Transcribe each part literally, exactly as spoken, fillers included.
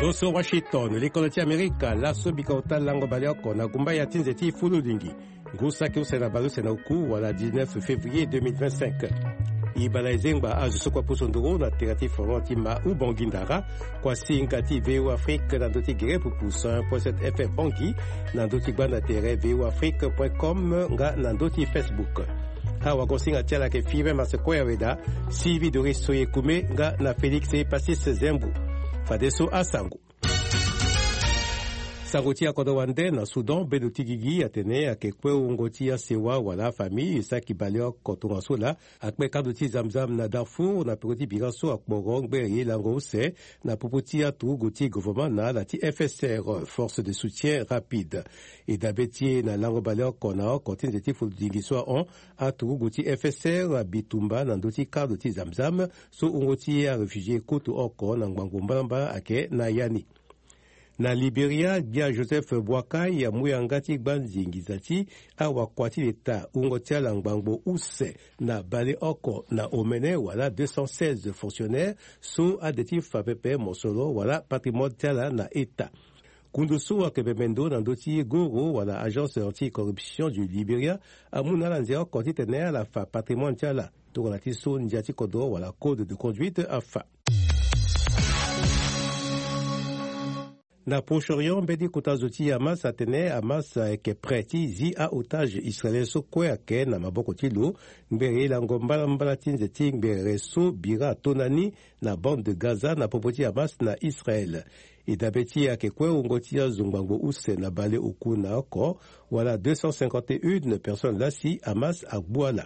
Oso Washington, likolo ti Amerika, laso bika ota lango baleoko na gumba ya ti nze ti fululingi. Ngu saki use na baleuse na oku wala dix-neuf février deux mille vingt-cinq. E bala e zengba azo so kue apusu nduru na tere ti fondement ti ma Ubongi Ndara, kuasinga ti V O Afrique na ndö ti gere pupu cent un point sept F M Bangui, na ndö ti gbanda tere V O Afrique point com nga na ndö ti Facebook. Awagosinga ti ala ayeke Firmin Masse Koyaweda, Sylvie Doris Soye Kume nga na Félix Passis Zembu. Fadeso asango. Sango ti akodro wande na Soudan, bendo ti gigi atene ayeke kue wungo ti asewa wala afamille e saki baleoko tongaso laa akpe kando ti zamzam na Darfour na peko ti bira so akporo ngbere ye lango use na popo ti aturugu ti gouvernement na ala ti F S R, Force de Soutien Rapide. E dabe ti e na lango baleoko na oko ti nze ti fululingi so ahon, aturugu ti F S R abitumba na ndö ti kado ti zamzam so wungo ti aréfugié kutu oko na ngbangbo mbalambala ayeke na ya ni. Na Liberia, gbia Joseph Boakai amu yanga ti gbanzi nginza ti awakua ti leta wungo ti ala ngbangbo use na baleoko na omene wala deux cent seize fonctionnaires so ade ti fa pepe mosoro wala patrimoine ti ala na eta. Kundu so ayeke bembe ndo na ndö ti goro wala agence anti-corruption du Liberia amu na ala nze oko titene ala fa patrimoine ti ala tongana ti so ndia ti kodro wala code de conduite afa. Na Proche-Orient, mbeti kota zo ti Hamas atene Hamas ayeke prêt ti zi a-otage israélien so kue ayeke na maboko ti lo. Ngbere ye lango mbalambala ti nze ti ngbere so bira atonda ni na bande de Gaza na popo ti Hamas na Israël. E dabe ti e ayeke kue wungo ti azo ngbangbo use na baleoku na oko wala deux cent cinquante et une personnes laa si Hamas agbu ala.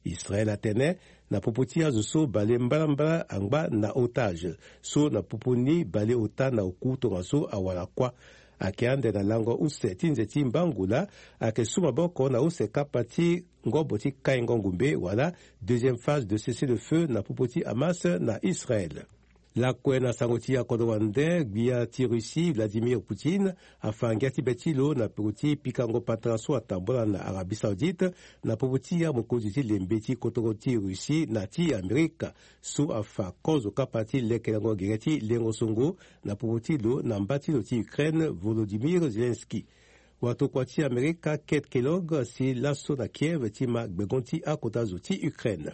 Israël atene na popo ti azo so balembalambala angba na otage so na popo ni baleota na oku tongaso awara kuâ. Ayeke ande na lango use ti nze ti mbangu laa ayeke su maboko na use kapa ti ngobo ti kaingo ngumbe wala deuxième phase de cessez-le-feu na popo ti Hamas na Israël. Lakue na sango ti akodro wande, gbia ti Russie Vladimir Poutine afa ngia ti be ti lo na peko ti pikango patara so atambula na Arabie Saoudite na popo ti amokonzi ti lembe ti kotoro ti Russie na ti Amerika so afa kozo kapa ti lekelango gere ti lengo songo na popo ti lo na mba ti lo ti Ukraine Volodymyr Zelensky. Watokua ti Amerika Kate Kellogg asi laso na Kiev ti ma gbengo ti akota zo ti Ukraine.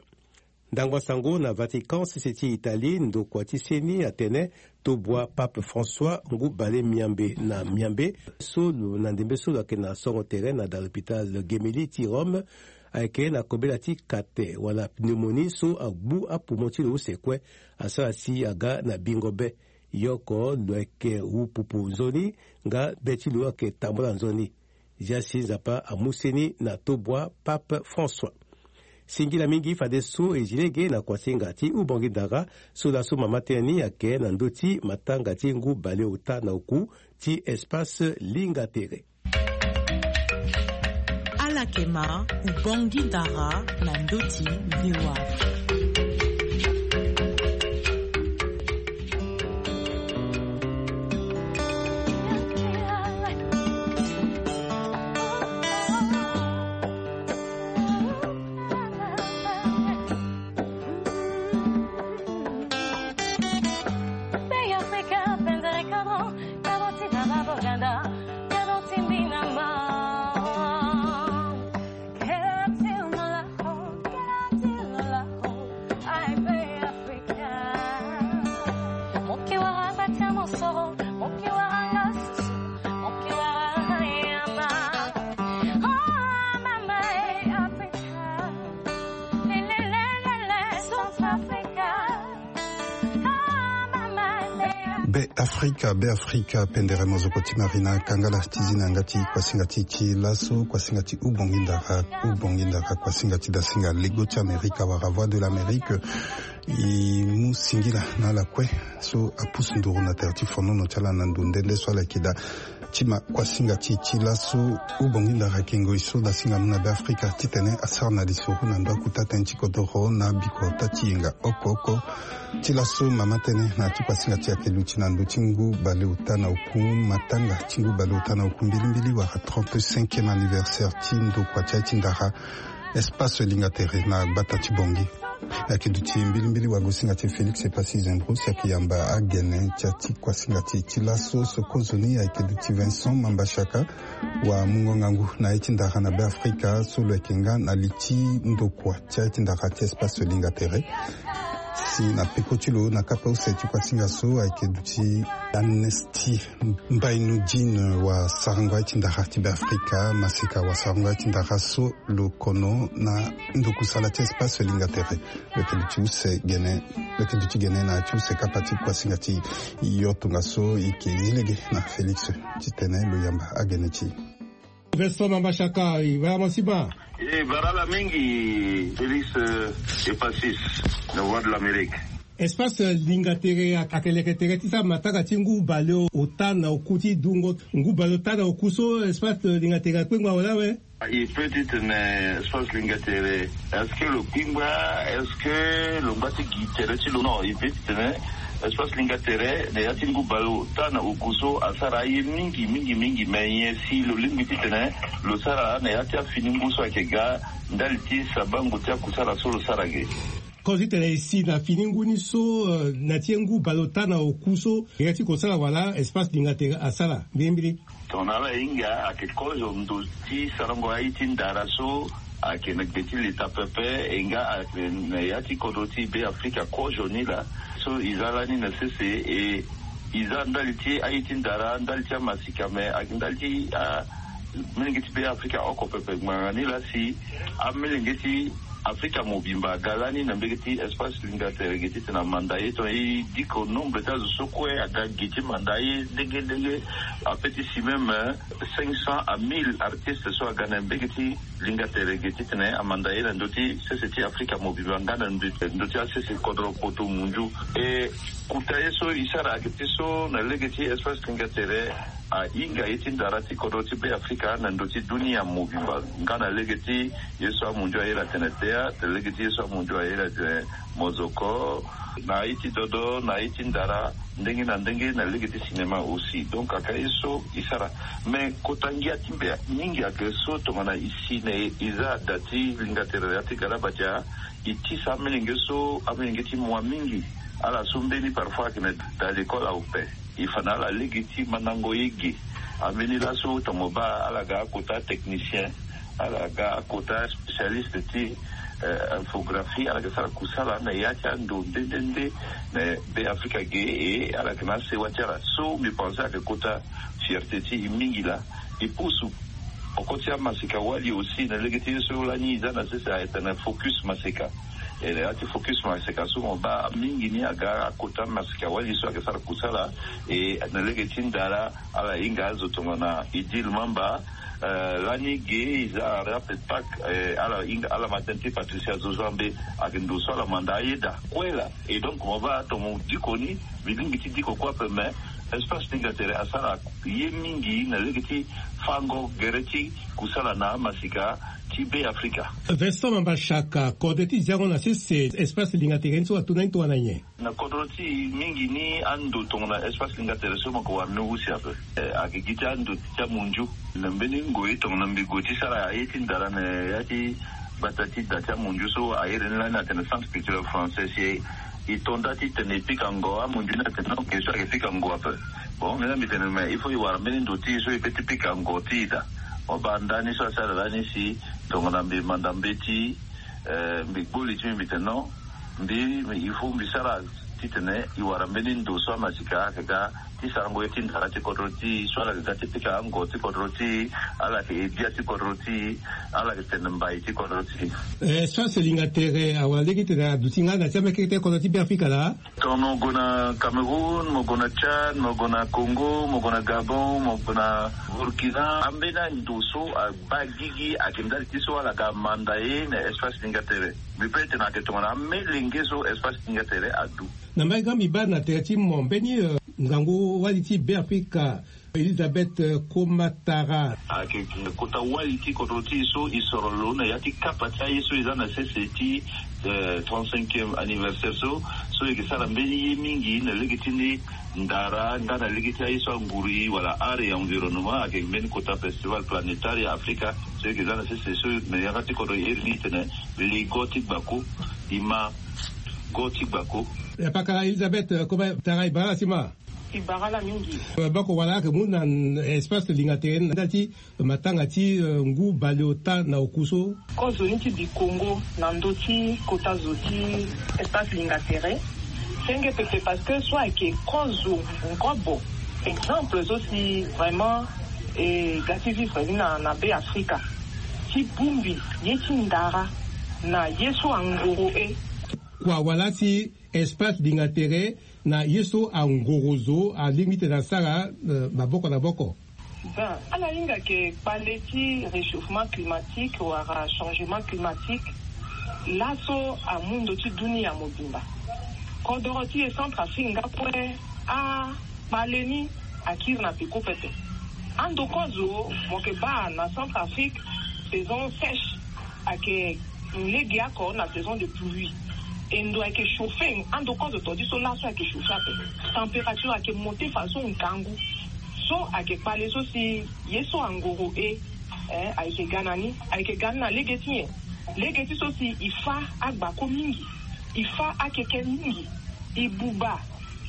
Ndangba sango na Vatican, sese ti Italie, ndokua ti seni atene tobua Pape François ngu bale miambe na miambe so lo na ndembe so lo ayeke na songo tere na da l'hôpital Gemelli ti Rome ayeke na kobela ti kate wala pneumonie so agbu apoumon ti lo use kue, asara si aga na bingo be. Yoko lo yeke wu pupu nzoni nga be ti lo ayeke tambula nzoni. Zia si Nzapa amu seni na tobua Pape François. Singila mingi fadeso e zi lege na kuasinga ti Ubongi Ndara so laso mama tënë ni ayeke na ndö ti matanga ti ngu baleota na oku ti espace Linga Tere. Ala yeke ma Ubongi Ndara na ndö ti V O A. Be Afrika, be Afrika, pendere mozoko ti Marina Kangala ti zi na yanga ti kuasinga ti ti laso, kuasinga ti Ubongi Ndara, Ubongi Ndara, kuasinga ti dasinga lego ti Amerika wala Voix de l'Amérique. E mu singila na ala kue so apusu nduru na tere ti fonono ti ala na ndo nde nde so ala yeke daa ti ma kuasinga ti e ti laso. Ubongi Ndara ayeke ngoi so dasinga mu na be Afrika titene asara na lisoro na ndo akuta tënë ti kodoro na bikota ti yenga oko oko. Ti laso mama tënë na ya ti kuasinga ti e ayeke luti na ndö ti ngu baleota na oku, matanga ti ngu baleota na oku mbilimbili wala trente-cinquième anniversaire ti ndokua ti aye ti Ndara, espace Linga Tere na gbata ti Bangui. Ayeke duti mbilimbili wagosinga ti Félix Epassi Zembro si ayeke yamba agene ti ya ti kuasinga ti e ti laso so kozoni ayeke duti Vincent Mambashaka, wa mungo ngangu na ye ti ndara na Be Afrika so lo yeke nga na li ti ndokua ti aye ti ndara ti espace linga tere. Si na peko ti lo na kapa use ti kuasinga so ayeke duti Amnesty Mbainudine, wa sarango aye ti ndara ti Be Afrika, maseka wa sarango aye ti ndara so lo kono na ndokusala ti espace linga tere. Lo yeke duti use gene, lo yeke duti gene na ya ti use kapa ti kuasinga ti e. Yo tongaso e yeke zi lege na Félix titene lo yamba agene ti e. Vincent Mambashaka, e bara mo si baa? E bara ala mingi, Félix, euh, Epassi na Voix de l'Amérique. Espace linga tere ayeke leke tere ti sara matanga ti ngu baleota na oku ti dungo. Ngu baleota na oku so espace linga tere akpengba wala awe? E peut ti tene espace linga tere, est-ce que lo kpingba? Est-ce que lo ngba ti gi tere ti lo? Non, e peut ti tene espace linga tere na ya ti ngu baleota na oku so asara aye mingi mingi mingi, mais nyen si lo lingbi ti tene lo sara na ya ti afini ngu so ayeke ga ndali ti sabango ti akusala so lo sara ge? Kozo ti tene e si na fini ngu ni so, euh, na ti ye ngu baleota na oku so e ya ti kosala wala espace linga tere asara mbilimbili? Tongana ala hinga ayeke kozo ndo ti sarango aye ti ndara so ayeke na gbe ti leta pepe, e nga ayeke na ya ti kodro ti Be Afrika kozo ni laa. So e za lani na sese e, e za ndali ti aye ti ndara, ndali ti amasika, me ayeke ndali ti, ah, amelenge ti Be Afrika oko pepe ngbanga ni laa si amelenge ti Afrika mobimba aga lani na mbege ti espace linga tere ge titene amanda ye, tongana e diko nombre ti azo so kue aga ge ti manda ye ndenge ndenge. Ape ti si même, euh, cinq cents à mille artistes so aga na mbege ti linga tere ge titene amanda ye na ndö ti sese ti Afrika mobimba nga na ndö, ndö ti asese kodro poto munzu. E kota ye so e sara ayeke ti so na lege ti espace linga tere ahinga ye ti ndara ti kodro ti Be Afrika na ndö ti dunia mobimba nga na lege ti ye so amunzu ayere atene théâtre, lege ti ye so amunzu ayere atene mozoko, na aye ti dodo, na aye ti ndara, ndenge na ndenge, na lege ti cinéma aussi. Donc ayeke aye so e sara. Mais kota ngia ti mbe mingi ayeke so tongana e si na e, e za da ti linga tere na ya ti galabatia, e tisa amelenge so, amelenge ti mua mingi. Ala so mbeni parfois ayeke na da l'école ape. E fa na ala lege ti mandango ye ge. Ambeni laso tongana mo baa ala ga akota technicien, ala ga akota spécialiste ti, euh, infographie, ala ga sara kusala na ya ti ando nde nde nde na Be Afrika ge, e ala yeke na asewa ti ala. So mbi pense ayeke kota fierté ti e mingi laa. E pusu oko ti amaseka wali aussi na lege ti ye so lani e za na sese ayeke tene focus maseka. E na ya ti focus maseka so mo baa mingi ni aga akota maseka wali so ayeke sara kusala. E na lege ti ndara ala hinga azo tongana Idil Mamba, euh, lani ge e za rap et pack, euh, ala hinga, ala ma tënë ti Patricia Zozambe, ayeke ndo so ala manda ayeda kue laa. Et donc mo baa tongana mo diko ni, mbi lingbi ti diko kue ape, mais espace linga tere asara ye mingi na lege ti fango gere ti kusala na amasika ti Be Afrika. Vincent Mamba Shaka, kode ti ziango na sese espace linga tere ni so atu na ni tongana nyen? Na kodro ti e mingi ni ando tongana espace linga tere so mo yeke wara ni use ape. Eh, ayeke gi ti ando ti amunzu. Na mbeni ngoi tongana mbi gue ti sara aye ti ndara na ya ti gbata ti da ti amunzu so ahere ni lani atene centre culturel français, si e to nda titene e pika ngo, amunzu ni atene non, ke so ayeke pika ngo ape. Bon, mbi na mbi tene mais il faut e wara mbeni ndo ti e so e peut ti pika ngo ti e daa. Mo baa ndani so asara lani si tongana mbi manda mbeti, eh, mbi gbu li ti mbi, mbi tene non, mbi, mbi, il faut mbi sara titene e wara mbeni ndo so amasika ayeke ga ti sarango ye ti ndara ti kodro ti e, so ala yeke ga ti pika ango ti kodro ti e, ala yeke edia ti kodro ti e, ala yeke tene mbai ti kodro ti e. Eh, so aselinga tere awara lege titene aduti nga na ti amekete kodro ti Beafrika laa. Tongana mo gue na Cameroun, mo gue na Tchad, mo gue na Congo, mo gue na Gabon, mo gue na Burkina, ambeni ando so abaa gigi ayeke ndali ti so ala ga manda ye na espace linga tere. Mbi peut tene ayeke tongana amelenge so espace linga tere adu. Na mbage nga mbi baa na tere ti mo mbeni, eh, Ngangu wali ti Beafrika, Elisabeth Komatara. Ayeke kota wali ti kodro ti e so e soro lo na ya ti kapa ti aye so e za na sese ti trente-cinquième anniversaire so, so e yeke sara mbeni ye mingi na lege ti ni ndara nga na lege ti aye so anguru e wala art et environnement. Ayeke mbeni kota festival planétaire ya Afrika so e yeke za na sese so, me yanga ti kodro e iri ni tene ligo ti gbako. E ma go ti gbako. Pakara Elisabeth Komatara, e bara la si ma. E bara la mingi. Bako wala ayeke mu na espace lingatere na nda ti matanga ti ngu baleota na oku so. Kozoni ti bikongo na ndö ti kota zo ti espace lingatere senge pepe parce que so ayeke kozo ngobo exemple so si vraiment e ga ti vivre ni na na be afrika ti bongbi ye ti ndara na ye so angoro e. Kua wala si espace lingatere na ye so angoro zo alingbi tene asara maboko na boko. Ben ala hinga ke kpale ti réchauffement climatique wala changement climatique laso amu ndo ti dunia mobimba. Kodoro ti e centre afrique nga kue akpale ni akiri na peko pepe. Ando kozo mo ke baa na centre afrique saison sèche ayeke lege oko na saison de pluie. E ndo ayeke chauffe ando kozo todi so laso ayeke chauffe ape. Température ayeke monte façon ngangu so ayeke kpale so si ye so angoro e. Ayeke ga na ni ayeke ga ni na lege ti nyen? Lege ti so si e fa agbako mingi, e fa akeke mingi, e buba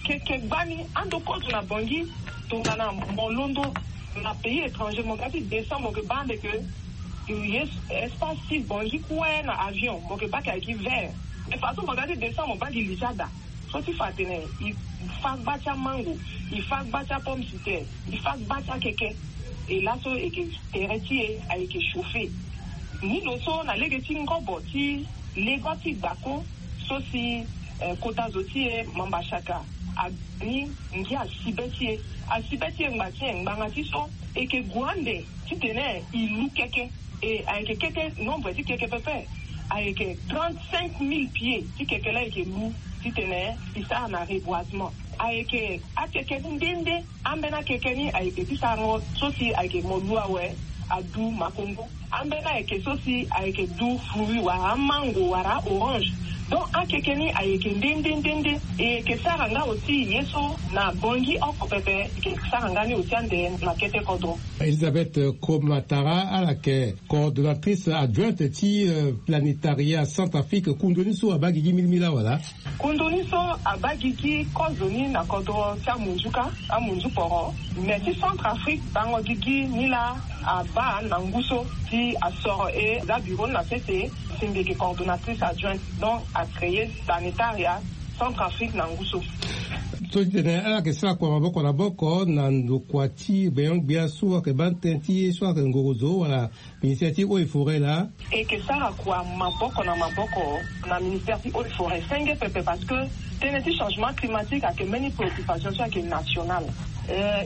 keke gbani ando kozo na bangi. Tongana mo londo na pays étranger mo ga ti descend mo ke baa ande ke espace ti bangi kue na avion mo ke baa ke ayeke vert. Mais façon mo ga ti descend mo baa gi li ti ada so ti fa atene e fa gba ti amango, e fa gba ti apomme de terre, e fa gba ti akeke. E laso e yeke tere ti e ayeke chauffe. Ni lo so na lege ti ngobo ti lego ti gbako so si kota zo ti e mamba saka. Ani ngia asi be ti e asi be ti e ngba ti e ngbanga ti so e yeke gue ande titene e lu keke. E ayeke keke nombre ti keke pepe ayeke trente-cinq mille pieds ti keke laa e yeke lu titene e sara na reboisement. Ayeke akeke nde nde. Ambeni akeke ni ayeke ti sarango so si ayeke mo lu awe adu makongo. Ambeni ayeke so si ayeke du fruit wala amango wala a-orange. Donc akeke ni ayeke nde nde nde nde. E yeke sara nga aussi ye so na bongi oko pepe e yeke sara nga ni aussi ande na kete kodro. Elisabeth Komatara ala yeke coordonnatrice adjointe ti planétariat centrafrique. Kundoni so abaa gigi milimili awa laa. Kundoni so abaa gigi kozoni na kodro ti amunzu ka amunzu poro. Mais ti centrafrique bango gigi ni laa abaa na ngu so si asoro e za bureau ni na sese. Si mbi yeke coordonnatrice adjointe donc acréer planétariat centrafrique na ngu so. So ti tene ala yeke sara kua maboko na boko na ndokua ti gbenyo-gbia so ayeke baa tënë ti ye so ayeke ngoro zo wala ministère ti eau et forêt laa. E yeke sara kua maboko na maboko na ministère ti eau et forêt senge pepe parce que tënë ti changement climatique ayeke mbeni préoccupation so ayeke nationale.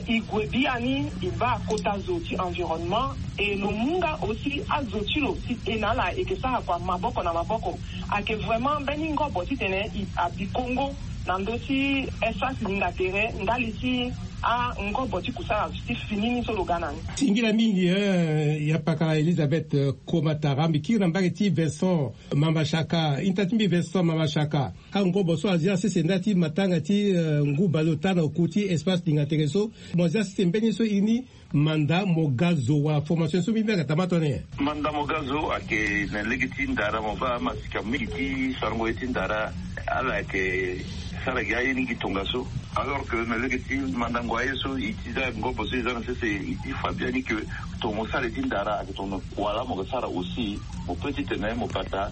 E gue biani e baa kota zo ti environnement e lo mu nga aussi azo ti lo si e na ala e yeke sara kua maboko na maboko. Ayeke vraiment mbeni ngobo titene e abi kongo na ndö ti espace lingatere ndali ti angobo ti kusala ti fini ni so lo ga na ni. Singila mingi eh, ya pakala Elisabeth eh, Komatara mbi kiri na mbage ti Vincent Mamashaka. Inta ti mbi Vincent Mamashaka. Angobo so azia sese nda ti matanga ti eh, ngu baleota na oku ti espace lingatere so mo zia sese mbeni so ini manda mo ga zo wala formation so mbi mbi ayeke tama tone. Manda mo ga zo ayeke na lege ti ndara mo baa masika mingi ti sarango ye ti ndara. Ala ayeke sara gi aye ni gi tongaso. Alors que na lege ti mandango aye so e ti za ngobo so e za na sese e ti fa biani ke tongo sara ye ti ndara ayeke tongo na kua laa mo ga sara aussi. Mo pe titene mo bata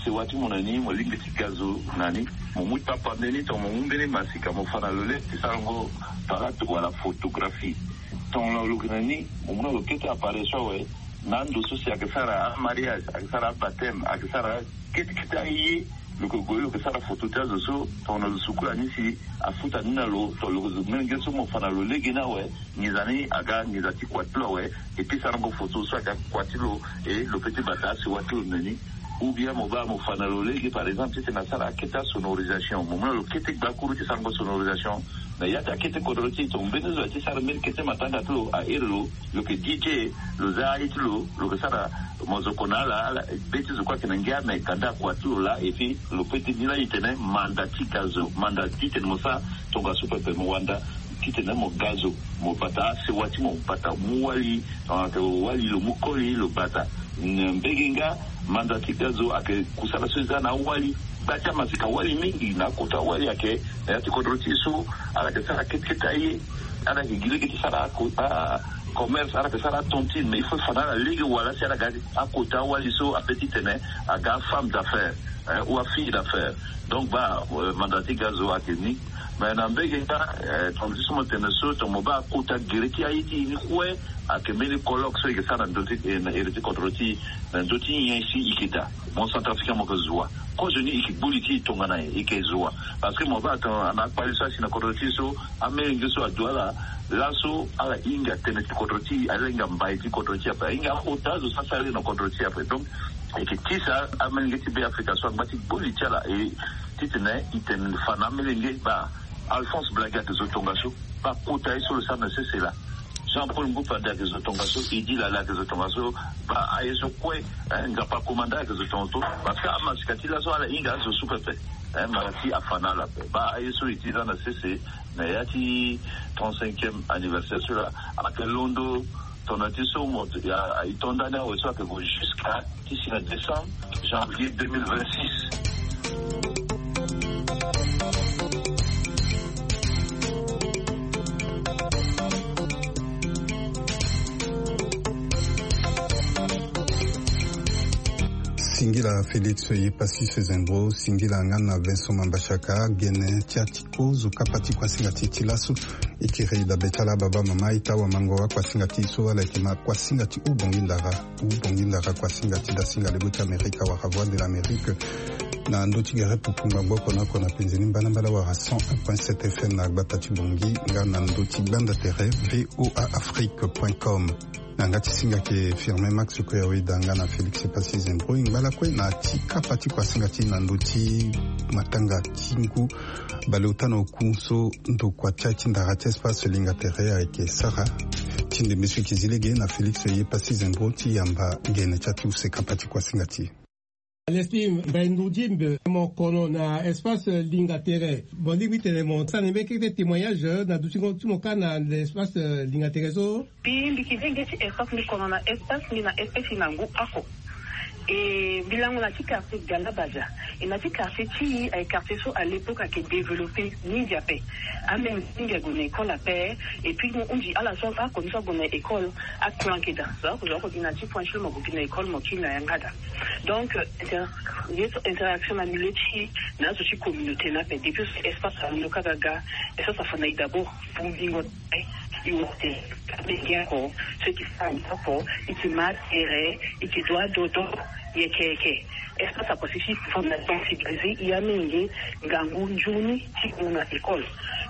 sewa ti mo na ni mo lingbi ti ga zo na ni. Mo mu tapande ni tongo mo mu mbeni masika mo fa na lo le ti sarango parade wala photographie. Tongo na lo yeke na ni mo mu na lo kete appareil so awe. Na ando so si ayeke sara amariage ayeke sara abateme ayeke sara kete kete aye. Lo yeke gue lo yeke sara foto ti azo so tongo na lo sukula ni si afuta ni na lo tongo lo yeke zo menge so mo fa na lo lege ni awe. Nginza ni aga nginza ti kua ti lo awe. E pesa na ngo foto so ayeke akua ti lo. E lo pe ti bata asiwa ti lo na ni. Ou bien mo baa mo fa na lo lege, par exemple, titene asara akete asonorisation, mo mu na lo kete gbakuru ti sarango sonorisation. Na ya ti akete kodro ti e, tongana mbeni zo aye ti sara mbeni kete matanga ti lo, ahere lo, lo yeke D J, lo za aye ti lo, lo yeke sara mozoko na ala, ala be ti zo kue ayeke na ngia, me kanda akua ti lo laa. Et puis lo pe ti ni laa, e tene manda ti ga zo, manda titene mo sara tongaso pepe, mo wanda titene mo ga zo, mo bata asewa ti mo, mo bata mu wali, tongana ayeke wali lo mu koli lo bata. Mbege nga, manda ti ga zo ayeke kusala so e za na awali. Gba ti amaseka wali mingi na akota wali ayeke na ya ti kodro ti e so, ala yeke sara kete kete aye. Ala yeke gi lege ti sara ako, a, commerce, ala yeke sara atontine, mais il faut e fa na ala lege wala si ala ga akota wali so ape titene aga afemme d'affaires, hein, ou afille d'affaires. Donc baa, euh, manda ti ga zo ayeke ni. Mais na mbege nga, eh, tongana ti so mo tene so, tongana mo baa kota gere ti aye ti e ni kue, ayeke mbeni colloque so e yeke sara na ndö ti, eh, na ere ti kodro ti e, na ndö ti nyen si e yeke daa. Mo centrafricain mo yeke zo wa. Kozoni e yeke gbu li ti e tongana nyen, e yeke zo wa. Parce que mo baa tongana akpali so asi na kodro ti e so, amelenge so adu ala, laso ala hinga tënë ti kodro ti e, ala hinga mbai ti kodro ti e ape, ala hinga akota zo so asara ye na kodro ti e ape. Donc e yeke tisa amelenge ti Beafrika so angba ti gbu li ti ala, e titene e tene fa na amelenge, baa Alphonse Blagi ayeke zo tongaso, baa kota ye so lo sara na sese laa. Jean Paul Mbupa Ande ayeke zo tongaso, Eddy Lala ayeke zo tongaso, baa aye so kue, eh, Nzapa Komanda ayeke zo tongaso. Parce que amaseka ti laso ala hinga azo so pepe, eh, mara ti afa na ala ape. Baa aye so e ti za na sese na ya ti trente-cinquième anniversaire so laa, ayeke londo tongana ti so mo, ya, e to ndani awe so ayeke gue jusqu'à ti si na décembre, janvier deux mille vingt-six. Singila Félix Yepassis Zembro, singila nga na Vincent Mambachaka, gene ti atiko zo kapa ti kuasinga ti e ti laso. E kiri dabe ti ala baba mama, e ta wamango akuasinga ti e so ala yeke ma kuasinga ti Ubongi Ndara. Ubongi Ndara, kuasinga ti dasinga lebo ti Amerika wala Voix de l'Amérique, na ndö ti gere pupu ngbangbo oko na oko na penze ni mbalambala wala cent un point sept F M na gbata ti Bongi, nga na ndö ti gbanda tere V O A Afrique point com. Na yanga ti singa ayeke Firmin Max Kouyaoué Danga na Félix Passy Zembro. E ngba lakue na ti kapa ti kuasinga ti e na ndö ti matanga ti ngu baleota na oku so ndokua ti aye ti ndara ti Espace Linga Tere ayeke sara. Ti ndembe so e yeke zi lege na Félix Passy Zembro ti yamba gene ti use kapa ti kuasinga ti e. Alexis Mbaye Ndoudimbe, mo kono na Espace Linga Tere. Mo lingbi tene mo sara na mbeni kete témoignage na dutingo ti mo kâ na Espace Linga Tere so. Mbi, mbi yeke venge ti Espace, mbi kono na Espace, mbi na Espace na ngu oko. E mbi lango na ti quartier Galabadia. E na ti quartier ti e, aye quartier so à l'époque ayeke développé mingi ape. Amenge mingi ague na école ape. Et puis mo hunzi ala so, akono so ague na école, akue ayeke daa. Zo oko, zo oko gi na ti point ti lo, mo gue gi na école, mo kiri na yanga daa. Donc, euh, inter-, ye so interaction na milieu ti e na azo ti communauté ni ape. Depuis so Espace alondo kâ ga ga, Espace afa na e d'abord bongbingo. E wara tene amenge oko so e ke sara nyen oko, e ke ma tere, e ke dua dodo, yeke yeke. Espace akosi ti fa na sensibiliser e amenge ngangu nzoni ti gue na école.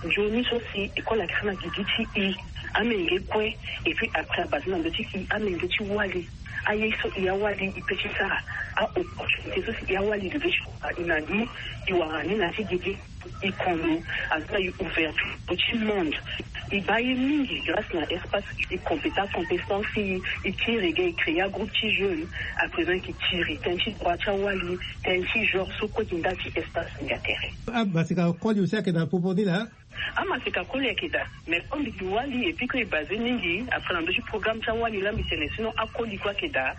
Nzoni so si école ayeke sara na gigi ti e, amenge kue. Et puis après abasé na ndö ti e amenge ti wali. Aye so e awali e pe ti sara, a-opportunité so si e awali e pe ti wara e na ni, e wara ni na ti gigi. E kono, aza na e ouverture ti monde. E baa ye mingi grâce na Espace. E complété compétence ti e, e tiri ga, e créé agroupe ti jeune. À présent e ke tiri tënë ti droit ti awali, tënë ti genre so kue gi nda ti Espace Linga Tere. Amaseka koli aussi ayeke na popo ni laa. Amaseka koli ayeke daa. Mais comme mbi gi wali et puis que e basé mingi après na ndö ti programme ti awali laa, mbi tene sinon akoli kue ayeke daa.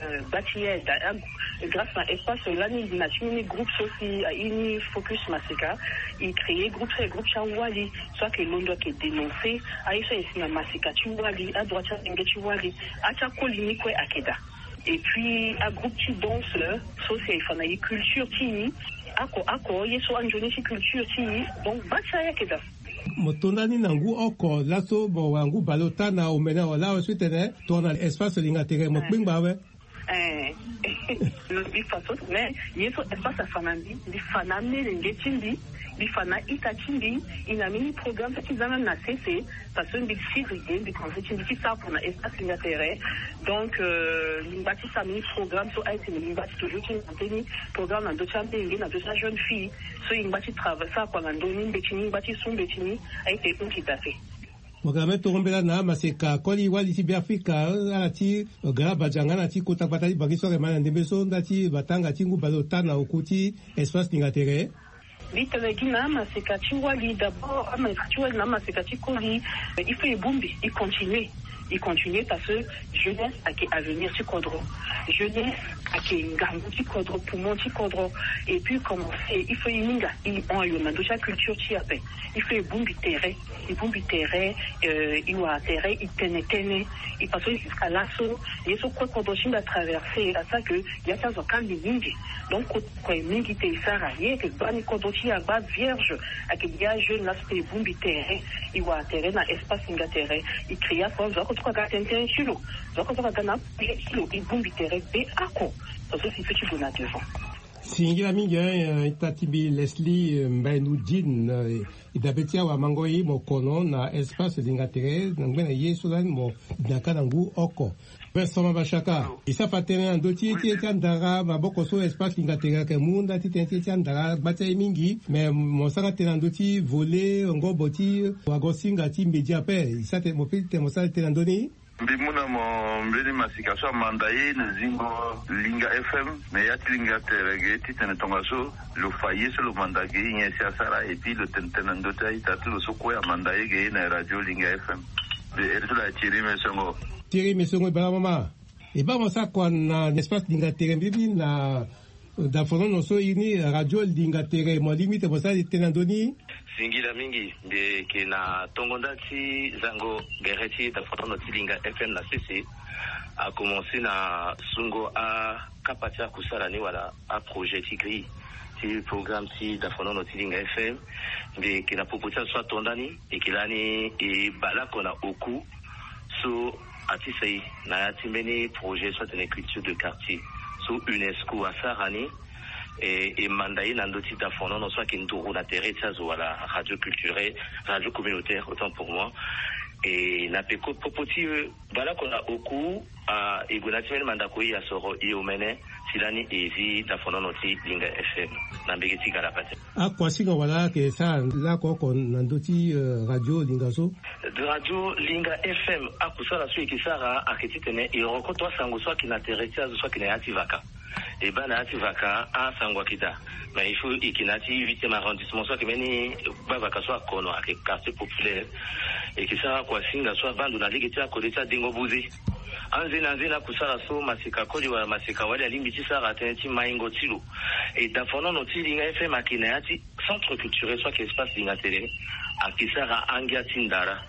Euh, gba ti e daa, ah, grâce na Espace lani, na ti mbeni groupe so si, ah, e ni focus maseka, e créé groupe so, groupe ti awali so ayeke londo ayeke dénoncer aye so aye si na maseka ti wali, adroit ti amenge ti wali, ati akoli ni kue ayeke daa. Et puis agroupe ti danse so si aye fa na e culture ti e, oko oko ye so anzoni ti culture ti e. Donc gba ti aye ayeke daa. Mo to ndani na ngu oko laso, mo wara ngu baleota na omene awe laa awe so e tene tongana Espace Linga Tere, mo kpengba awe. Eh. Mbi fa so, mais ye so espace afa na mbi, mbi fa na amelenge ti mbi, mbi fa na a-ita ti mbi. E na mbeni programme so ti za même na sese. Parce que mbi siri ge, mbi pense ti mbi ti sara pour na espace Linga Tere. Donc euh, mbi ngba ti sara mbeni programme so aye tene mbi ngba ti toujours ti maintenir programme na ndö ti amenge, na ndö ti ajeune fille. So e ngba ti travail, sara kua na ndö ni, mbeti ni, ngba ti su mbeti ni. Aye tene hon ki da ape. Mo ga me tongo mbela na amaseka koli wali ti Beafrika, ala ti gara badianga na ti kota gbata ti Bangi so ayeke ma na ndembe so nda ti matanga ti ngu baleota na oku ti espace Linga Tere. Mbi tene gi na amaseka ti wali, d'abord amaseka ti wali na amaseka ti koli, il faut e bongbi, e continuer. E continuer parce que jeunesse ayeke avenir ti kodro. Jeunesse ayeke ngangu ti kodro, poumon ti kodro. Et puis commencer, il faut e hinga, e hon ayo na ndö ti aculture ti e ape. Il faut e bongbi tere, e bongbi tere, euh, e wara tere, e tene tënë. E parce que jusqu'à laso, ye so kue kodro ti mbi atraverser, asara que ya ti azo akangbi mingi. Donc kue mingi te e sara, ye ayeke gbani kodro ti e agba vierge. Ayeke gi ajeune laso te e bongbi tere, e wara tere na espace Linga Tere, e créer aso, azo oko so aga tene tënë ti lo, azo oko so aga na aprojet ti lo, e bongbi tere be oko. Parce que si e peut ti gue na devant. Singila mingi, hein, ita ti mbi Leslie, euh, Mbaye Noudine, euh, e dabe ti awamango ye mo kono na espace Linga Tere, na ngbe na ye so lani mo daka na ngu oko. Vincent Mabashaka, e sara fa tënë na ndö ti ti ti andara maboko so espace Linga Tere ayeke mu nda ti tënë ti ti andara gba ti aye mingi. Mais mo sara tënë na ndö ti volet ngobo ti wagosinga ti média ape. E sara tënë mo fini tënë mo sara tënë na ndö ni. Mbi mu na mo mbeni masika so amanda ye na zingo Linga F M na ya ti Linga Tere ge titene tongaso lo fa ye so lo manda ge nyen si asara, et puis lo tene tënë na ndö ti a-ita ti lo so kue amanda ye ge na radio Linga F M. De eri ti lo aye Thierry Mesongo. Thierry Mesongo, e baa mama. E baa mo sara kua na espace Linga Tere mbibi na dafonono so e iri ni radio Linga Tere, mo lingbi tene mo sara tënë na ndö ni? Singila mingi. Mbi yeke na tongo nda ti zango gere ti dafonono ti Linga F M na sese. Akomanse na sungo akapa ti akusala ni wala aprojet ti grille ti programme ti dafonono ti Linga F M. Mbi yeke na popo ti azo so ato nda ni, e yeke lani e baleoko na oku so atisa e na ya ti mbeni projet so atene culture de quartier so UNESCO asara ni. E, e manda ye na ndö ti dafonono so ayeke nduru na tere ti azo wala radio culturel, radio communautaire, autant pour moi. E na peko popo ti, euh, baleoko na oku, ah, e gue na ya ti mbeni mandako e asoro e omene, si lani e zi dafonono ti Linga F M na mbege ti Galapati. Akuasinga wala ayeke sara laoko oko na ndö ti, euh, radio Linga so? Radio Linga F M, akusala so e yeke sara ayeke titene e rokoto asango so ayeke na tere ti azo so ayeke na ya ti vaka. E baa na ya ti vaka asango ayeke daa. Mais il faut e yeke na ya ti huitième arrondissement so ayeke mbeni gbavaka so akono ayeke quartier populaire. E yeke sara akuasinga so abaa ndo na lege ti akode ti adengo buze. Anzeni anzeni akusala so maseka koli wala maseka wali alingbi ti sara tënë ti maingo ti lo. E dafonono ti Linga F M ayeke na ya ti centre culturel so ayeke espace Linga Tere, ayeke sara angia ti ndara.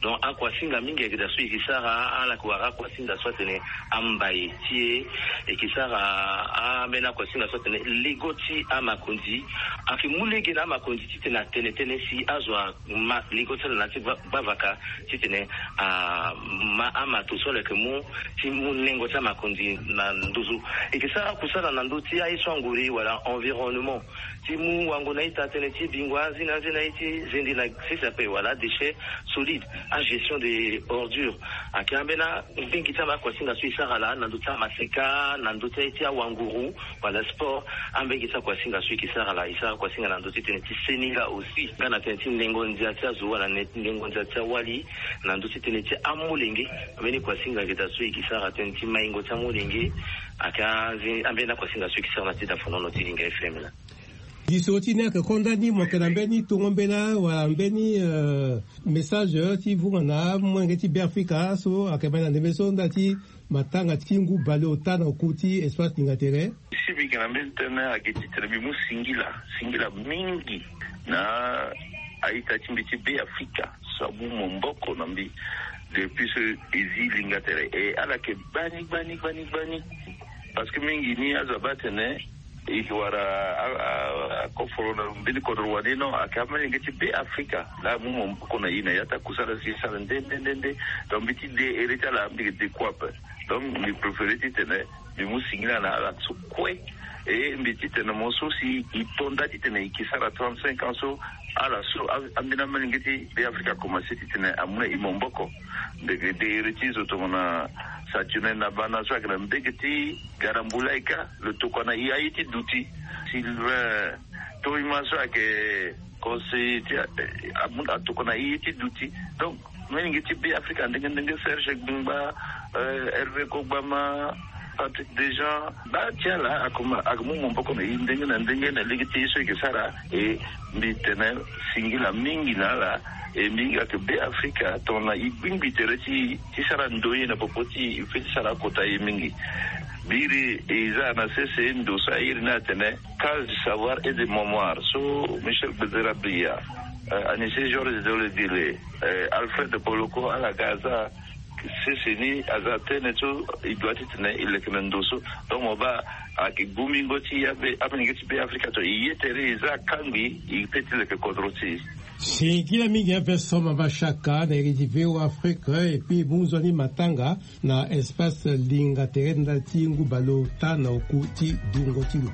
Donc akuasinga mingi ayeke daa so e yeke sara, ala yeke wara akuasinga so atene ambaye ti e, e yeke sara ambeni akuasinga so atene lego ti amakonzi. Ayeke mu lege na amakonzi titene atene tënë si azo ama lego ti ala na ya ti gba, gbavaka titene ama amato so ala yeke mu ti mu nengo ti amakonzi na nduzu. E yeke sara akusala na ndö ti aye so anguri wala environnement. Ti mu wango na ita tënë ti bingo anzeni anzeni na ye ti zende na sese ape wala déchet solide, agestion des ordures. Ayeke ambeni mbenge ti amakuasinga so e sara laa na ndö ti amaseka, na ndö ti aye ti awanguru wala sport. Ambenge ti akuasinga so e yeke sara laa, e sara akuasinga na ndö ti tënë ti seninga aussi, nga na tënë ti nengo ndia ti azo wala ne, nengo ndia ti awali, na ndö ti tënë ti amolenge. Ambeni kuasinga ayeke daa so e yeke sara tënë ti maingo ti amolenge. Ayeke anze, ambeni akuasinga so e yeke sara na ti dafonono ti Linga F M laa. Lisoro ti ni ayeke konda ni, mo yeke na mbeni tongo mbela wala mbeni, euh, message ti vunga na amolenge ti Beafrika so ayeke ma na ndembe so nda ti matanga ti ngu baleota na oku ti espace Linga Tere? Si mbi yeke na mbeni tënë ayeke titene mbi mu singila, singila mingi na a-ita ti mbi ti Beafrika so amu maboko na mbi depuis so e zi Linga Tere. E ala yeke gbani, gbani, gbani, gbani. Parce que mingi ni azo abaa atene e yeke wara a, a, akoforo na mbeni kodro wani, non, ayeke amelenge ti Beafrika laa amu maboko na e na ya ti akusala si e sara nde nde nde nde. Donc mbi ti de ere ti ala, mbi yeke de kue ape. Donc mbi préféré titene Mbi mu singila na ala so kue. E mbi titene mo so si e to nda titene e ke sara trente-cinq ans so, ala so a- ambeni amolenge ti Be Afrika akomanse titene amu na e maboko. Ndege de iri ti zo tongana Saturnin Nabana so ayeke na mbege ti Garambulaika, lo tokua na e aye ti duti. Sylvain Toima so ayeke conseiller ti, eh, amu- atokua na e aye ti duti. Donc, molenge ti Be Afrika ndenge ndenge, Serge Gbingba, eh, Hervé Kogbama, Patrick Dejean, baa ti ala akoma- ayeke mu maboko na e ndenge na ndenge na lege ti e so e yeke sara. E mbi tene singila mingi na ala. E mbi hinga ke Be Afrika tongana e gbingbi tere ti e ti sara ndo ye na popo ti e, e feti sara akota ye mingi. Biri e za na sese ndo so a iri ni atene Case du savoir et de mémoire so Michel Gbezera Biya, eh, Anissé Georges Dole Dile, eh, Alfred Boloko, ala ga aza sese ni aza tënë so e doit titene e leke na ndo so. Donc mo baa ayeke gumingo ti e ape, amolenge ti Be Afrika so e ye tere e za kangbi, e pe ti leke kodro ti e. Singila mingi ape so Mama Shaka na iri ti V O A Afrique, et puis mu nzoni matanga na espace Linga tere ndali ti ngu baleota na oku ti dungo ti lo.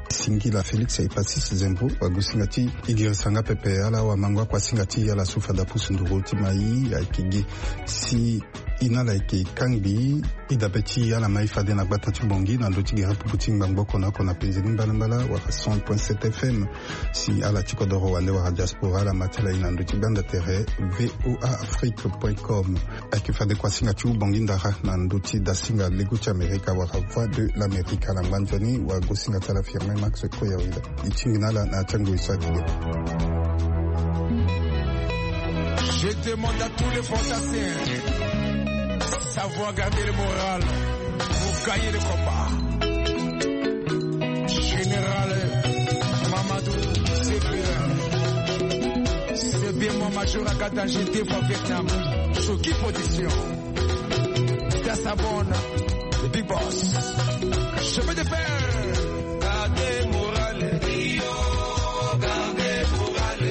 Singila Félix Epasis Zembo wagosinga ti e girisa nga pepe ala wamango akuasinga ti ala so fade apusu nduru ti mai ayeke gi si e na ala yeke kangbi e dabe ti ala mai fade na gbata ti Bangui na ndö ti gere pupu ti ngbangbo oko na oko na penze ni mbalambala wala cent point sept F M. Si ala ti kodoro wande wala diaspora ala ma ti ala e na ndö ti gbanda tere V O A Afrique point com. Ayeke fade kuasinga ti Bangui ndara na ndö ti dasinga lego ti Amerika wala Voix de l'Amérique. Ala ngba nzoni wagosinga ti ala Firmin Max Koyawila. E tingbi na ala na ti ango e so atene. Je demande à tous les fantassins savoir garder le moral pour gagner le combat. Général Mamadou Séguin, c'est bien mon major à Katan, j'étais au Vietnam. Sur qui position? Dans sa bonne, le big boss. Chemin de fer. Gardez moral, yo, gardez moral,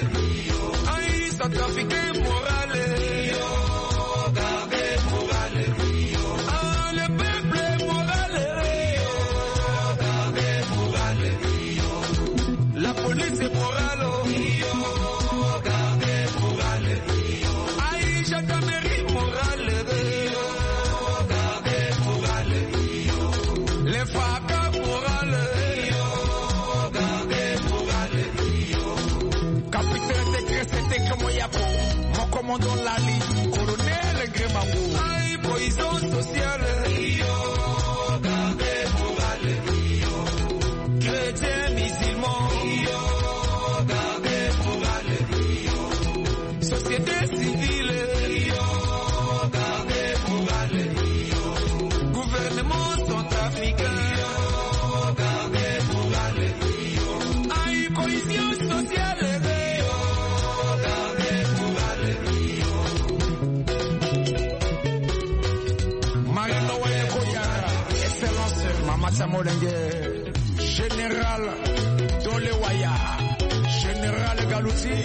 yo. Aïe, centrafricain moral, yo, gardez moral, yo. Ah, le peuple moral, yo, gardez moral, yo. La police est morale, yo, gardez moral, yo. Aïe, gendarmerie morale, yo, gardez moral, yo. Les FACA morale, yo, gardez moral, yo. Capitaine Tekre, c'était comme Yako, mon commandant Lali, colonel Grémango. Aïe, poison social, yo, gardez moral, yo. Chrétiens, musulmans, yo, gardez moral, yo. Société civile, yo, gardez moral, yo. Gouvernement centrafricain, yo, gardez moral, yo. Aïe, cohésion sociale, yo, gardez moral, yo. Marino Waye Koyara, Excellence, Mama Samolenge. Général Dolewaya, Général Galouti,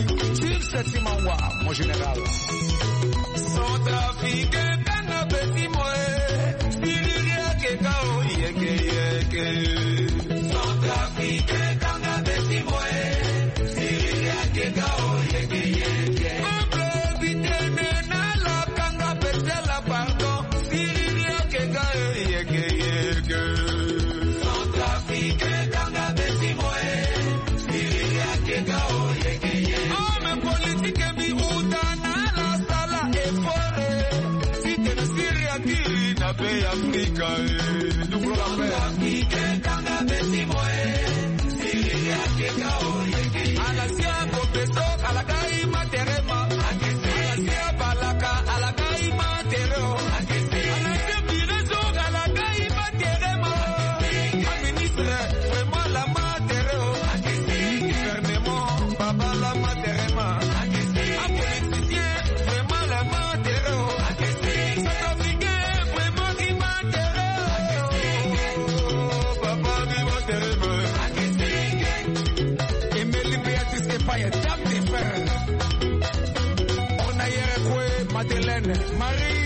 Tim Setimawa, mon général. Centrafricain, kanga beti moe, siriri akeka o yeke yeke. Centrafricain, kanga beti moe, siriri akeka o yeke yeke. Peuple bitene na la kanga beti la pardon. Siriri akeka e yeke yeke. Centrafricain kanga beti moe. Siriri akeka o yeke yeke. Homme politique mbi uta na ala sala effort. Titene Siri akiri na be Afrika e. Centrafricain kanga beti moe. Ala sia Kopeso, ala gai materema. Ala sia Balaka, ala gai matereo. Ala sia Bireso, ala gai materema. A ministre, vraiment la matereo. Gouvernement, baba la materema. A politicien, vraiment la matereo. Centrafricain, vraiment qui matereo. Papa qui materema. Emeli Béatrice Epaye, dame de fer. Onayere Kwe, Madeleine, Marie